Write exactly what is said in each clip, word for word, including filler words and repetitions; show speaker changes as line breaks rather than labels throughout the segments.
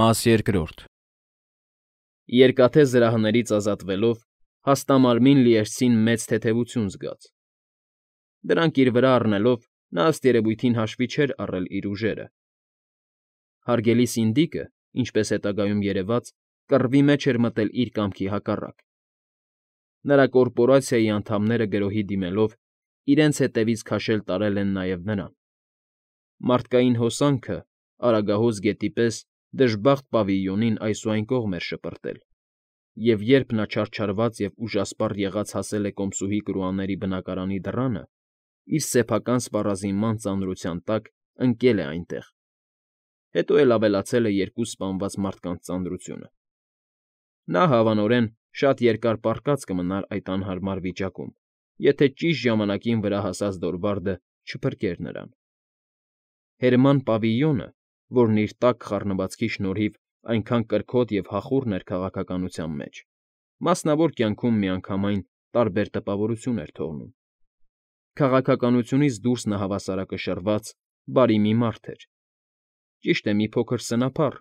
Մաս երկրորդ Երկաթե զրահներից ազատվելով հաստամարմին լիերցին մեծ թեթևություն զգաց. դրանք իր վրա առնելով նա ըստ երևույթին հաշվի չէր առել իր ուժերը. հարգելի սինդիկը, ինչպես հետագայում երևաց, կռվի մեջ էր մտել իր կամքի հակառակ. նրա կորպորացիայի անդամները գրոհի դիմելով իրենց հետևից քաշել տարել են նաև նրան. մարդկային հոսանքը, Արագահոս գետի պես, դժբախտ պավիլիոնին այսուայն կողմ էր շպրտել, և երբ նա չարչարված և ուժասպառ եղած հասել է կոմսուհի կրուաների բնակարանի դռանը, իր սեփական սպառազինման ծանրության տակ ընկել է այնտեղ, հետո էլ ավելացել է երկու սպանված մարդկանց ծանրությունը. նա, հավանորեն, շատ երկար պառկած կմնար այդ անհարմար վիճակում, եթե ճիշտ ժամանակին վրա հասած Դորվարդը չփրկեր նրան. Հերման Պավիլիոնը, որն իր տաք խառնվածքի շնորհիվ այնքան կրքոտ և հախուռն էր քաղաքականության մեջ, մասնավոր կյանքում միանգամայն տարբեր տպավորություն էր թողնում. քաղաքականությունից դուրս նա հավասարակշռված, բարի մի մարդ էր, ճիշտ է, մի փոքր սնափառ,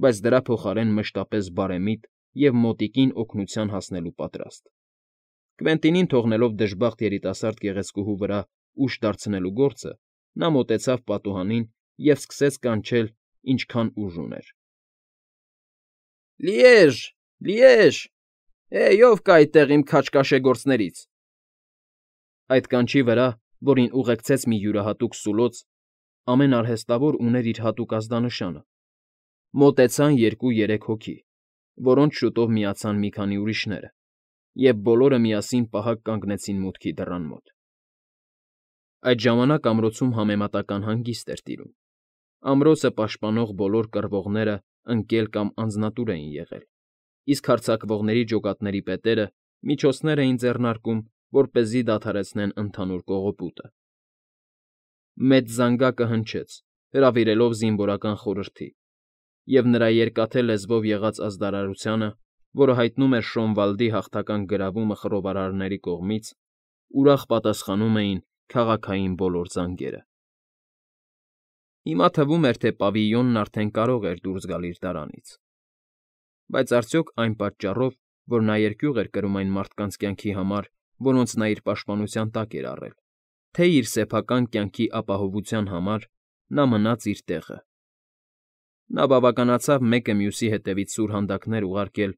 բայց դրա փոխարեն մշտապես բարեմիտ և մոտիկին օգնության հասնելու պատրաստ. Կվենտինին թողնելով դժբախտ երիտասարդ գեղեցկուհու վրա ուժ դարձնելու գործը, նա մոտեցավ պատուհանին և սկսեց կանչել ինչքան ուժ ուներ. Լիեժ, Լիեժ, հեյ, ո՞վ կա այդտեղ իմ քաջ֊կաշեգործներից… Այդ կանչի վրա, որին ուղեկցեց մի յուրահատուկ սուլոց, ամեն արհեստավոր ուներ իր հատուկ ազդանշանը, մոտեցան երկու֊երեք հոգի, որոնց շուտով միացան մի քանի ուրիշները, և բոլորը միասին պահակ կանգնեցին մուտքի դռան մոտ. Այդ ժամանակ ամրոցում համեմատական հանգիստ էր տիրում. ամրոցը պաշտպանող բոլոր կռվողներն ընկել կամ անձնատուր էին եղել, իսկ հարձակվողների ջոկատների պետերը միջոցներ էին ձեռնարկում, որպեսզի դադարեցնեն ընդհանուր կողոպուտը. Մեծ զանգակը հնչեց, հրավիրելով զինվորական խորհրդի, և նրա երկաթե լեզվով եղած ազդարարությանը, որը հայտնում էր Շոնվալդի հաղթական գրավումը խռովարարների կողմից, ուրախ պատասխանում էին քաղաքային բոլոր զանգերը. Հիմա թվում էր, թե Պավիլիոնն արդեն կարող էր դուրս գալ իր դարանից, բայց արդյոք այն պատճառով, որ նա երկյուղ էր կրում այն մարդկանց կյանքի համար, որոնց նա իր պաշտպանության տակ էր առել, թե իր սեփական կյանքի ապահովության համար, նա մնաց իր տեղը. նա բավականացավ մեկը մյուսի հետևից սուրհանդակներ ուղարկել,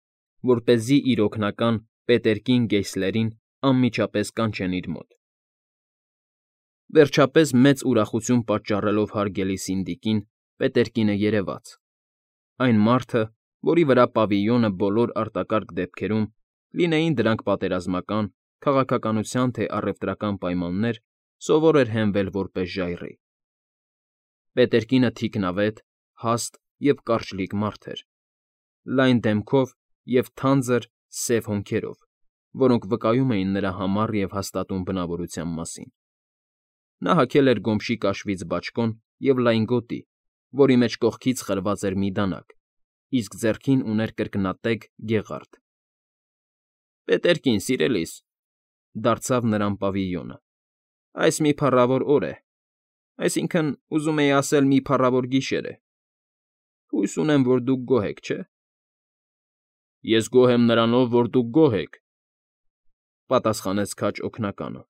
որպեսզի իր օգնական Պետերկին Գեյսլերին անմիջապես կանչեն իր մոտ. Վերջապես, մեծ ուրախություն պատճառելով հարգելի սինդիկին, Պետերկինը երևաց, այն մարդը, որի վրա Պավիլիոնը բոլոր արտակարգ դեպքերում, լինեին դրանք պատերազմական, քաղաքականության թե առևտրական պայմաններ, սովոր էր հենվել որպես ժայռի. Պետերկինը թիկնավետ, հաստ և կարճլիկ մարդ էր, լայն դեմքով և թանձր, սև հոնքերով, որոնք վկայում էին նրա համառ և հաստատուն բնավորության մասին. նա հագել էր գոմշի կաշվից բաճկոն և լայն գոտի, որի մեջ կողքից խրված էր մի դանակ, իսկ ձեռքին ուներ կրկնատեգ գեղարդ։ ֊ Պետերկին, սիրելիս,֊ դարձավ նրան Պավիլիոնը,֊ այս մի փառավոր օր է, այսինքն, ուզում էի ասել, մի փառավոր գիշեր է. հույս ունեմ, որ դուք գոհ եք, չէ՞… ֊ Ես գոհ եմ նրանով, որ դուք գոհ եք,֊ պատասխանեց քաջ օգնականը,֊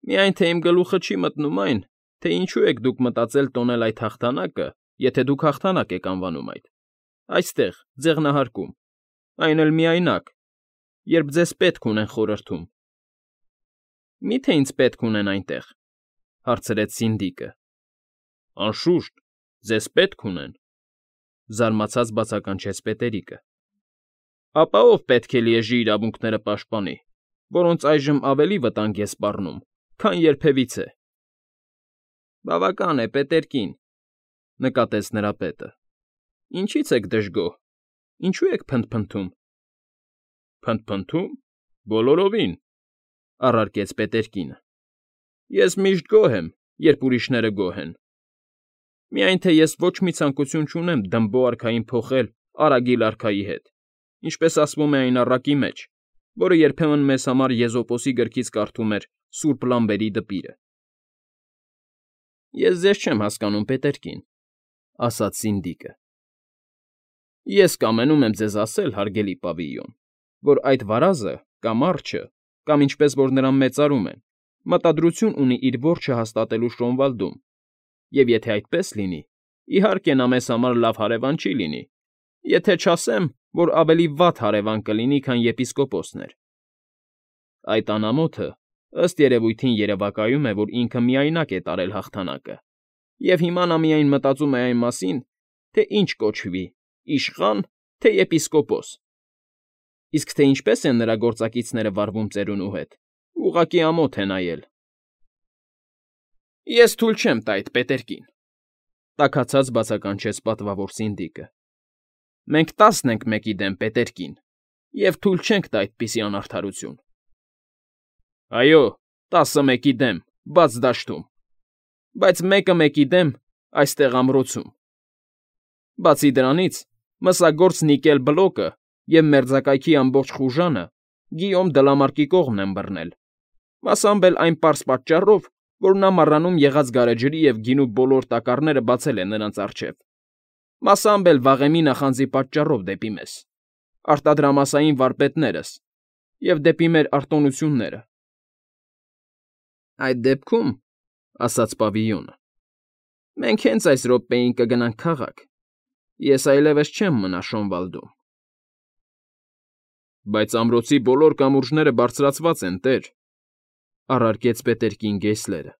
միայն թե իմ գլուխը չի մտնում այն, թե ինչու եք դուք մտածել տոնել այդ հաղթանակը, եթե դուք հաղթանակ եք անվանում այդ, այստեղ, ձեղնահարկում, այն էլ միայնակ, երբ ձեզ պետք ունեն խորհրդում։ ֊ Մի՞թե ինձ պետք ունեն այնտեղ,֊ հարցրեց սինդիկը։ ֊ Անշուշտ, ձեզ պետք ունեն,֊ զարմացած բացականչեց Պետերիկը։ ֊ Ապա ո՞վ պետք է Լիեժի իրավունքները պաշտպանի, որոնց այժմ ավելի վտանգ է սպառնում, քան երբևիցե։ ֊ Բավական է, Պետերկին,֊ նկատեց նրա պետը։ ֊ Ինչի՞ց եք դժգոհ, ինչո՞ւ եք փնթփնթում։ ֊ Փնթփնթում… Բոլորովին,֊ առարկեց Պետերկինը։֊ Ես միշտ գոհ եմ, երբ ուրիշները գոհ են… Միայն թե ես ոչ մի ցանկություն չունեմ Դմբո արքային փոխել Արագիլ արքայի հետ, ինչպես ասվում է այն առակի մեջ, որը երբեմն մեզ համար Եզոպոսի գրքից կարդում էր սուրբ Լամբերի դպիրը։ ֊ Ես ձեզ չեմ հասկանում, Պետերկին,֊ ասաց սինդիկը։ Ես կամենում եմ ձեզ ասել, հարգելի պավիլյոն, որ այդ վարազը կամ արջը, կամ ինչպես որ նրան մեծարում են, մտադրություն ունի իր որջը հաստատելու Շոնվալդում, և եթե այդպես լինի, իհարկե նա մեզ համար լավ հարևան չի լինի, եթե չասեմ, որ ավելի վատ հարևան կլինի, քան եպիսկոպոսն էր. այդ անամոթը, ըստ երևույթին երևակայում է, որ ինքը միայնակ է տարել հաղթանակը, և հիմա նա միայն մտածում է այն մասին, թե ինչ կոչվի՝ իշխա՞ն, թե եպիսկոպոս, իսկ թե ինչպես են նրա գործակիցները վարվում ծերունու հետ, ուղղակի ամոթ է նայել։ ֊ Ես թույլ չեմ տա այդ պետերկին,֊ տաքացած բացականչեց պատվավոր սինդիկը։֊ Մենք տասն ենք մեկի դեմ պետերկին և թույլ չենք տա այդպիսի անարդարություն։ ֊ Այո, տասը մեկի դեմ, բաց դաշտում, բայց մեկը մեկի դեմ այստեղ ամրոցում։ Բացի դրանից, մսագործ Նիկել Բլոկը և մերձակայքի ամբողջ խուժանը Գիյոմ Դլամարկի կողմն են բռնել, մասամբ էլ այն պարզ պատճառով, որ նա մառանում եղած գարեջրի և գինու բոլոր տակառները բացել է նրանց առջև, մասամբ էլ վաղեմի նախանձի պատճառով դեպի մեզ, արտադրամասային վարպետներս, և դեպի մեր արտոնությունները։ ֊ Այդ դեպքում,֊ ասաց պավիլյոնը,֊ մենք հենց այս րոպեին կգնանք քաղաք, ես այլևս չեմ մնա Շոնվալդում։ ֊ Բայց ամրոցի բոլոր կամուրջները բարձրացված են, տեր,֊ առարկեց պետերկին Գեյսլերը,֊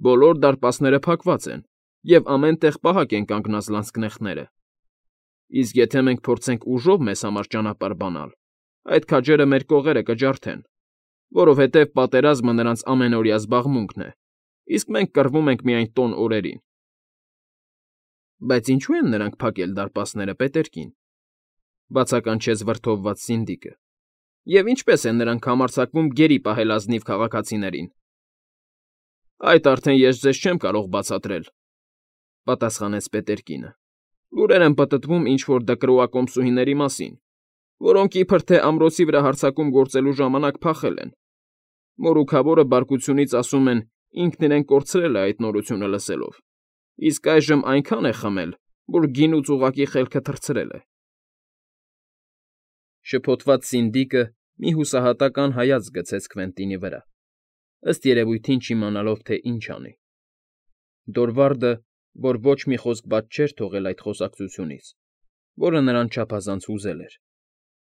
բոլոր դարպասները փակված են, և ամեն տեղ պահակ են կանգնած լանցկնեխները, իսկ եթե մենք փորձենք ուժով մեզ համար ճանապարհ բանալ, այդ քաջերը մեր կողերը կջարդեն, որովհետև պատերազմը նրանց ամենօրյա զբաղմունքն է, իսկ մենք կռվում ենք միայն տոն օրերին։ ֊ Բայց ինչո՞ւ են նրանք փակել դարպասները, պետերկին,֊ բացականչեց վրդովված Սինդիկը,֊ և ինչպե՞ս են նրանք համարձակվում գերի պահել ազնիվ քաղաքացիներին։ ֊ Այդ արդեն ես ձեզ չեմ կարող բացատրել,֊ պատասխանեց պետերկինը։֊ Լուրեր են պտտվում ինչ֊որ դկրոակոմսուհիների մասին, որոնք իբր թե ամրոցի վրա հարձակում գործելու ժամանակ փախել են։ Մորուքավորը բարկությունից ասում են ինքն իրեն կորցրել է այդ նորությունը լսելով, իսկ այժմ այնքան է խմել, որ գինուց ուղղակի խելքը թռցրել է։ Շփոթված Սինդիկը մի հուսահատական հայացք գցեց Քվենտինի վրա, ըստ երևույթին չիմանալով, թե ինչ անի։ Դորվարդը, որ ոչ մի խոսք բաց չէր թողել այդ խոսակցությունից, որը նրան չափազանց հուզել էր,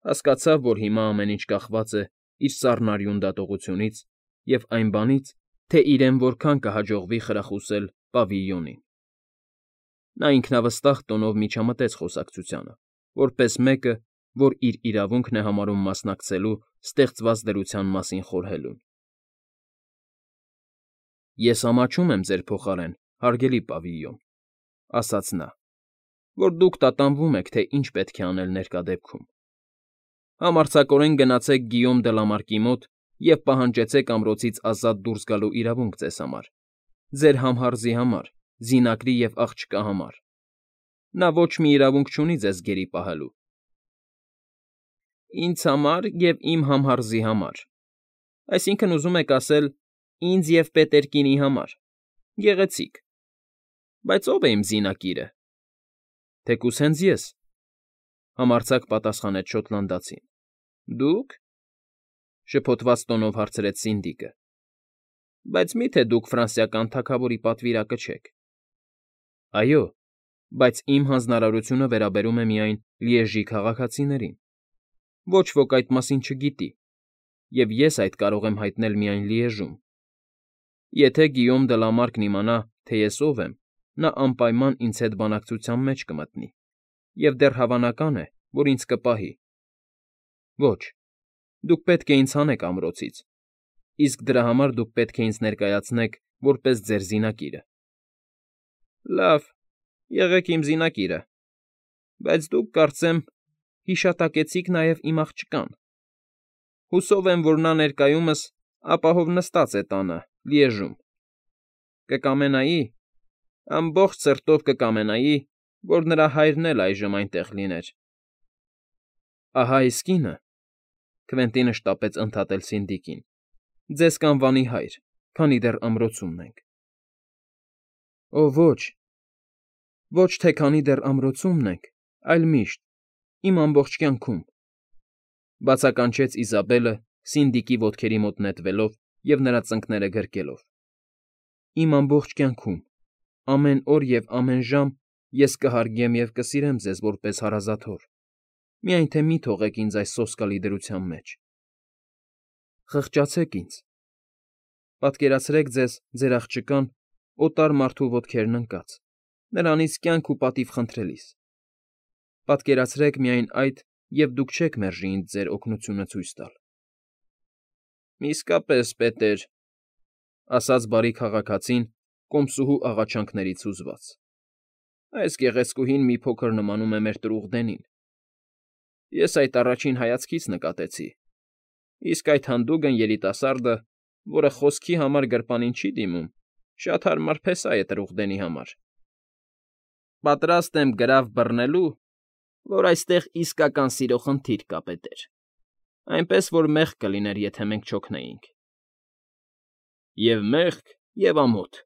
հասկացավ, որ հիմա ամեն ինչ կախված է իր սառնարյուն դատողությունից և այն բանից, թե իրեն որքան կհաջողվի խրախուսել պավիլյոնին։ Նա ինքնավստահ տոնով միջամտեց խոսակցությանը, որպես մեկը, որ իր իրավունքն է համարում մասնակցելու ստեղծված դրության մասին խորհելուն։ ֊ Ես ամաչում եմ ձեր փոխարեն, հարգելի պավիլյոն,֊ ասաց նա,֊ որ դուք տատանվում եք, թե ինչ պետք է անել ներկա դեպքում։ Համարձակորեն գնացեք Գիյոմ Դլամարկի մոտ և պահանջեցեք ամրոցից ազատ դուրս գալու իրավունք ձեզ համար, ձեր համհարզի համար, զինակրի և աղջկա համար։ Նա ոչ մի իրավունք չունի ձեզ գերի պահելու։ ֊ Ինձ համար և իմ համհարզի համար, այսինքն՝ ուզում եք ասել, ինձ և պետերկինի համար, գեղեցիկ, բայց ո՞վ է իմ զինակիրը։ ֊ Թեկուզ հենց ես,֊ համարձակ պատասխանեց շոտլանդացին։ ֊ Դու՞ք,֊ շփոթված տոնով հարցրեց Սինդիկը։ ֊ Բայց մի՞թե դուք ֆրանսիական թագավորի պատվիրակը չեք։ ֊ Այո, բայց իմ հանձնարարությունը վերաբերում է միայն Լիեժի քաղաքացիներին, ոչ ոք այդ մասին չգիտի, և ես այդ կարող եմ հայտնել միայն Լիեժում։ Եթե Գիյոմ Դլամարկն իմանա, թե ես ով եմ, նա անպայման ինձ հետ բանակցության մեջ կմտնի և դեռ հավանական է, որ ինձ կպահի։ Ոչ, դուք պետք է ինձ հանեք ամրոցից, իսկ դրա համար դուք պետք է ինձ ներկայացնեք որպես ձեր զինակիրը։ ֊ Լավ, եղեք իմ զինակիրը, բայց դուք, կարծեմ, հիշատակեցիք նաև իմ աղջկան։ Հուսով եմ, որ նա ներկայումս ապահով նստած է տանը, Լիեժում։ Կկամենայի, ամբողջ սրտով կկամենայի, որ նրա հայրն էլ այժմ այնտեղ լիներ։ ֊ Ահա իսկ ինը,֊ Քվենտինը շտապեց ընդհատել Սինդիկին,֊ ձեզ կանվանի հայր, քանի դեռ ամրոցումն ենք։ ֊ Օ ոչ, ոչ թե քանի դեռ ամրոցումն ենք, այլ միշտ, Իմ ամբողջ կյանքում,֊ բացականչեց Իզաբելը Սինդիկի ոտքերի մոտ նետվելով և նրա ծնկները գրկելով։֊ Իմ ամբողջ կյանքում, ամեն օր և ամեն ժամ ես կհարգեմ և կսիրեմ ձեզ որպես հարազատ հոր, միայն թե մի թողեք ինձ այս սոսկալի դրության մեջ… Խղճացեք ինձ… Պատկերացրեք ձեզ ձեր աղջկան օտար մարդու ոտքերն ընկած, նրանից կյանք ու պատիվ խնդրելիս… Պատկերացրեք միայն այդ և դուք չեք մերժի ինձ ձեր օգնությունը ցույց տալ… ֊ Իսկապես, պետեր,֊ ասաց բարի քաղաքացին կոմսուհու աղաչանքներից հուզված,֊ այս գեղեցկուհին մի փոքր նմանում է մեր ծրուղդենին… Ես այդ առաջին հայացքից նկատեցի, իսկ այդ հանդուգն երիտասարդը, որը խոսքի համար գրպանին չի դիմում, շատ հարմար փեսա է ծրուղդենի համար… Պատրաստ եմ գրավ բռնելու, որ այստեղ իսկական սիրո խնդիր կա, պետեր, այնպես որ մեղք կլիներ, եթե մենք չօգնեինք… ֊ Եվ մեղք, և ամոթ,֊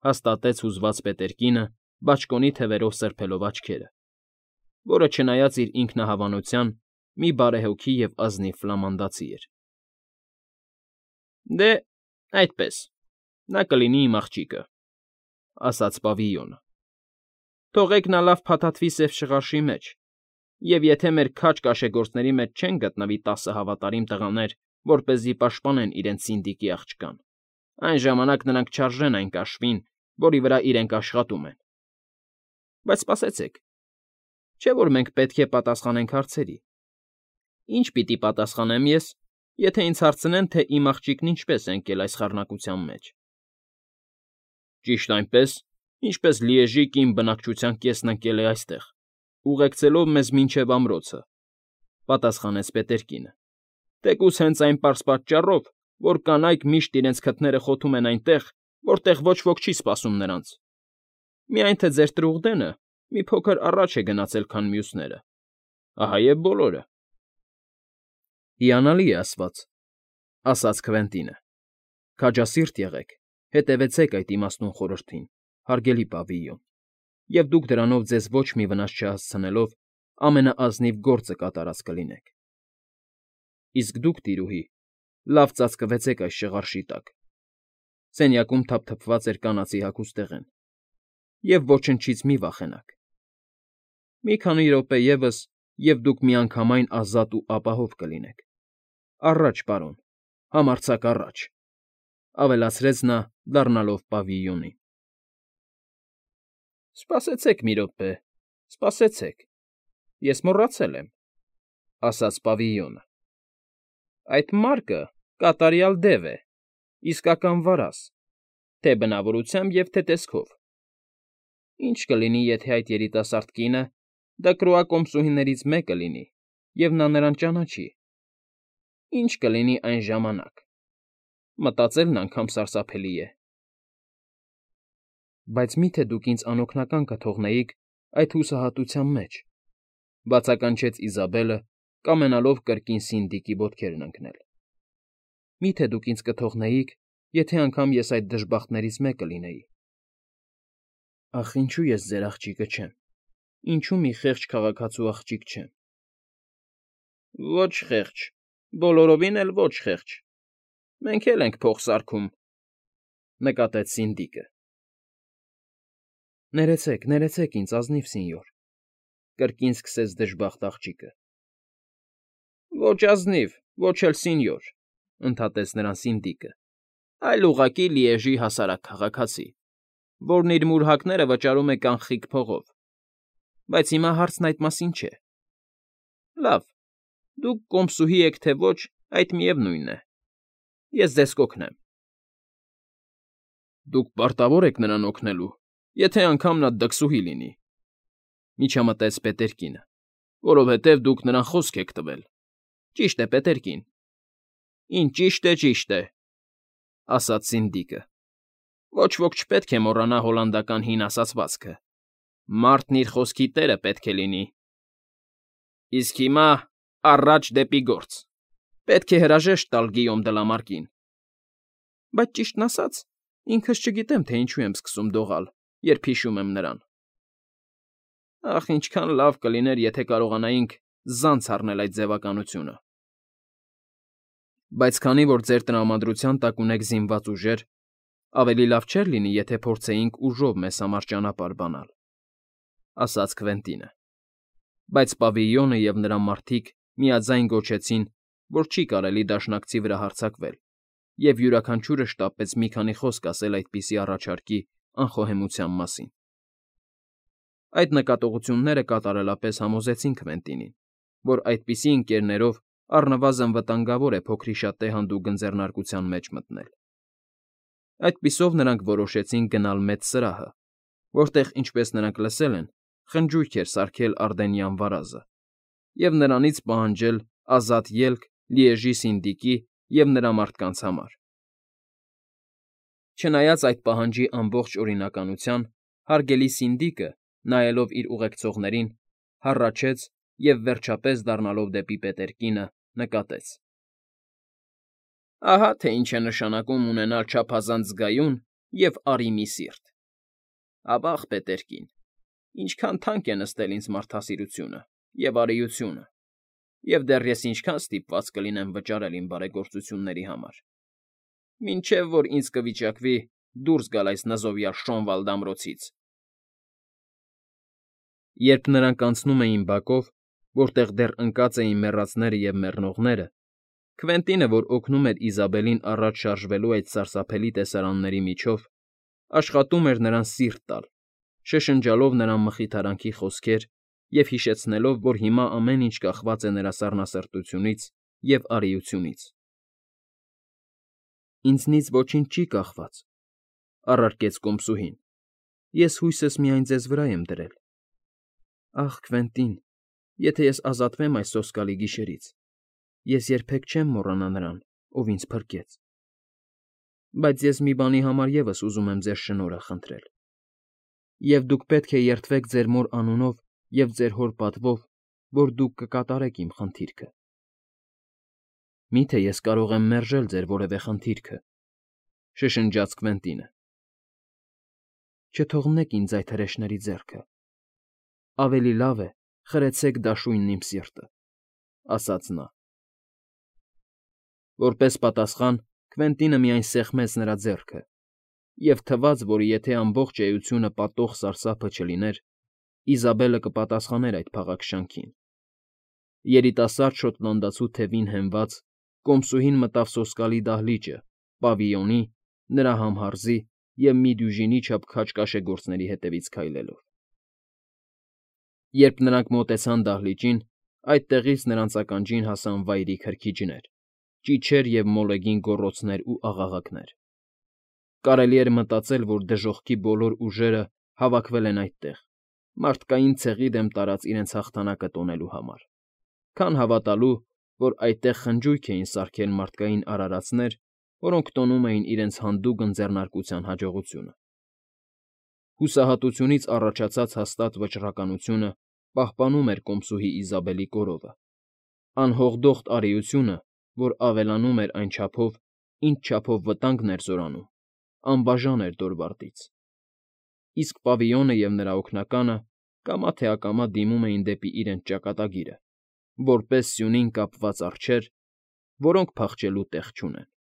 հաստատեց հուզված պետերկինը բաճկոնի թևերով սրբելով աչքերը, որը, չնայած իր ինքնահավանության, մի բարեհոգի և ազնիվ ֆլամանդացի էր։ ֊ Դե, այդպես, նա կլինի իմ աղջիկը,֊ ասաց պավիլյոնը։ ֊ Թողեք նա լավ փաթաթվի սև շղարշի մեջ, և եթե մեր քաջ կաշեգործների մեջ չեն գտնվի տասը հավատարիմ տղաներ, որպեսզի պաշտպանեն իրենց Սինդիկի աղջկան, այն ժամանակ նրանք չարժեն այն կաշվին, որի վրա իրենք աշխատում են… Բայց սպասեցեք, չէ՞ որ մենք պետք է պատասխանենք հարցերի… Ի՞նչ պիտի պատասխանեմ ես, եթե ինձ հարցնեն, թե իմ աղջիկն ինչպես է ընկել այս խառնակության մեջ։ ֊ Ճիշտ այնպես, ինչպես Լիեժի կին բնակչության կեսն ընկել է այստեղ, ուղեկցելով մեզ մինչև ամրոցը,֊ պատասխանեց պետերկինը,֊ թեկուզ հենց այն պարզ պատճառով, որ կանայք միշտ իրենց քթները խոթում են այնտեղ, որտեղ ոչ ոք չի սպասում նրանց… Միայն թե ձեր ծրուղդենը մի փոքր առաջ է գնացել, քան մյուսները… Ահա և բոլորը… ֊ Հիանալի է ասված,֊ ասաց Քվենտինը,֊ քաջասիրտ եղեք, հետևեցեք այդ իմաստուն խորհրդին, հարգելի պավիլյոն, և դուք դրանով ձեզ ոչ մի վնաս չհասցնելով ամենաազնիվ գործը կատարած կլինեք… Իսկ դուք, տիրուհի, լավ ծածկվեցեք այս շղարշի տակ (սենյակում թափթփված էր կանացի հագուստեղեն) և ոչնչից մի վախենաք… Մի քանի րոպե ևս, և դուք միանգամայն ազատ ու ապահով կլինեք… Առաջ, պարոն, համարձակ առաջ,֊ ավելացրեց նա, դառնալով պավիլյոնին։ ֊ Սպասեցեք մի րոպե, սպասեցեք, ես մոռացել եմ,֊ ասաց պավիլյոնը,֊ այդ մարկը կատարյալ դև է, իսկական վարազ, թե՛ բնավորությամբ և թե՛ տեսքով… Ի՞նչ կլինի, եթե այդ երիտասարդ կինը Դկրոա կոմսուհիներից մեկը լինի, և նա նրան ճանաչի… Ի՞նչ կլինի այն ժամանակ… Մտածելն անգամ սարսափելի է… ֊ Բայց մի՞թե դուք ինձ անօգնական կթողնեիք այդ հուսահատության մեջ,֊ բացականչեց Իզաբելը, կամենալով կրկին Սինդիկի ոտքերն ընկնել,֊ Մի՞թե դուք ինձ կթողնեիք, եթե անգամ ես այդ դժբախտներից մեկը լինեի… Ախ, ինչո՞ւ ես ձեր աղջիկը չեմ, ինչո՞ւ մի խեղճ քաղաքացու աղջիկ չեմ… ֊ Ոչ խեղճ, բոլորովին էլ ոչ խեղճ, մենք էլ ենք փող սարքում,֊ նկատեց Սինդիկը։ ֊ Ներեցեք, ներեցեք ինձ, ազնիվ սենյոր,֊ կրկին սկսեց դժբախտ աղջիկը։ ֊ Ոչ ազնիվ, ոչ էլ սենյոր,֊ ընդհատեց նրան Սինդիկը,֊ այլ ուղղակի Լիեժի հասարակ քաղաքացի, որն իր մուրհակները վճարում է կանխիկ փողով… Բայց հիմա հարցն այդ մասին չէ… Լավ, դուք կոմսուհի եք, թե ոչ, այդ միևնույն է… Ես ձեզ կօգնեմ… ֊ Դուք պարտավոր եք նրան օգնելու, եթե անգամ նա դքսուհի լինի,֊ միջամտեց պետերկինը,֊ որովհետև դուք նրան խոսք եք տվել… Ճիշտ է, պետերկին… ֊ Ինչ ճիշտ է, ճիշտ է,֊ ասաց Սինդիկը,֊ Ոչ ոք չպետք է մոռանա հոլանդական հին ասացվածքը. «Մարդն իր խոսքի տերը պետք է լինի»… Իսկ հիմա առաջ դեպի գործ… Պետք է հրաժեշտ տալ Գիյոմ դը Լամարկին… ֊ Բայց, ճիշտն ասած, ինքս չգիտեմ, թե ինչու եմ սկսում դողալ, երբ հիշում եմ նրան… Ախ, ինչքան լավ կլիներ, եթե կարողանայինք զանց առնել այդ ձևականությունը։ Բայց քանի որ ձեր տրամադրության տակ ունեք զինված ուժեր, ավելի լավ չէր լինի, եթե փորձեինք ուժով մեզ համար ճանապարհ բանալ, ասաց Քվենտինը։ Բայց Պավիլյոնը և նրա մարդիկ միաձայն գոչեցին, որ չի կարելի դաշնակցի վրա հարձակվել, և յուրաքանչյուրը շտապեց մի քանի խոսք ասել այդպիսի առաջարկի անխոհեմության մասին։ Այդ նկատողությունները կատարելապես համոզեցին Քվենտինին, որ այդպիսի ընկերներով առնվազն վտանգավոր է փոքրիշատե հանդուգն ձեռնարկության մեջ մտնել։ Այդպիսով նրանք որոշեցին գնալ մեծ սրահը, որտեղ, ինչպես նրանք լսել են, խնջույք էր սարքել Արդենյան վարազը, և նրանից պահանջել ազատ ելք Լիեժի սինդիկի և նրա մարդկանց համար։ Չնայած այդ պահանջի ամբողջ օրինականության, հարգելի սինդիկը, նայելով իր ուղեկցողներին, հառաչեց և, վերջապես դառնալով դեպի Պետերկինը, նկատեց. «Ահա թե ինչ է նշանակում ունենալ չափազանց զգայուն և արիմի սիրտ։ Ավա՜ղ, Պետերկին, ինչքան թանկ է նստել ինձ մարդասիրությունը և արիությունը, և դեռ ես ինչքան ստիպված կլինեմ վճարել իմ բարեգործությունների համար, մինչև որ ինձ կվիճակվի դուրս գալ այս նզովյալ Շոնվալդ ամրոցից»։ Երբ նրանք անցնում էին բակով, որտեղ դեռ ընկած էին մեռածները և մեռնողները, Քվենտինը, որ օգնում էր Իզաբելին առաջ շարժվելու այդ սարսափելի տեսարանների միջով, աշխատում էր նրան սիրտ տալ, շշնջալով նրան մխիթարանքի խոսքեր և հիշեցնելով, որ հիմա ամեն ինչ կախված է նրա սառնասրտությունից և արիությունից։ «Ինձնից ոչինչ չի կախված,֊ առարկեց կոմսուհին,֊ ես հույսս միայն ձեզ վրա եմ դրել։ Ախ, Քվենտին, եթե ես ազատվեմ այս սոսկալի գիշերից, ես երբեք չեմ մոռանա նրան, ով ինձ փրկեց։ Բայց ես մի բանի համար ևս ուզում եմ ձեր շնորհը խնդրել, և դուք պետք է երդվեք ձեր մոր անունով և ձեր հոր պատվով, որ դուք կկատարեք իմ խնդիրքը»։ «Մի՞թե ես կարող եմ մերժել ձեր որևէ խնդիրքը,֊ շշնջաց Քվենտինը։ Չթողնեք ինձ այդ հրեշների ձեռքը։ Ավելի լավ է խրեցեք դաշույնն իմ սիրտը»,֊ ասաց նա։ Որպես պատասխան Քվենտինը միայն սեղմեց նրա ձեռքը, և թվաց, որ եթե ամբողջ էությունը պատող սարսափը չլիներ, Իզաբելը կպատասխաներ այդ փաղաքշանքին։ Երիտասարդ շոտլանդացու թևին հենված, կոմսուհին մտավ սոսկալի դահլիճը, պավիլյոնի, նրա համհարզի և մի դյուժինի չափ քաջ կաշեգործների հետևից քայլելով։ Երբ նրանք մոտեցան դահլիճին, այդտեղից նրանց ականջին հասան վայրի քրքիջներ, ճիչեր և մոլեգին գոռոցներ ու աղաղակներ։ Կարելի էր մտածել, որ դժոխքի բոլոր ուժերը հավաքվել են այդտեղ, մարդկային ցեղի դեմ տարած իրենց հաղթանակը տոնելու համար, քան հավատալու, որ այդտեղ խնջույք էին սարքել մարդկային արարածներ, որոնք տոնում էին իրենց հանդուգն ձեռնարկության հաջողությունը։ Հուսահատությունից առաջացած հաստատ վճռականությունը պահպանում էր կոմսուհի Իզաբելի կորովը, անհողդոխտ արիությունը, որ ավելանում էր այն չափով, ինչ չափով վտանգն էր զորանում, անբաժան էր Դորվարդից։ Իսկ Պավիլյոնը և նրա օգնականը կամա թե ակամա դիմում էին դեպի իրենց ճակատագիրը, որպես սյունին կապված արջեր, որոնք փախչելու տեղ չունեն։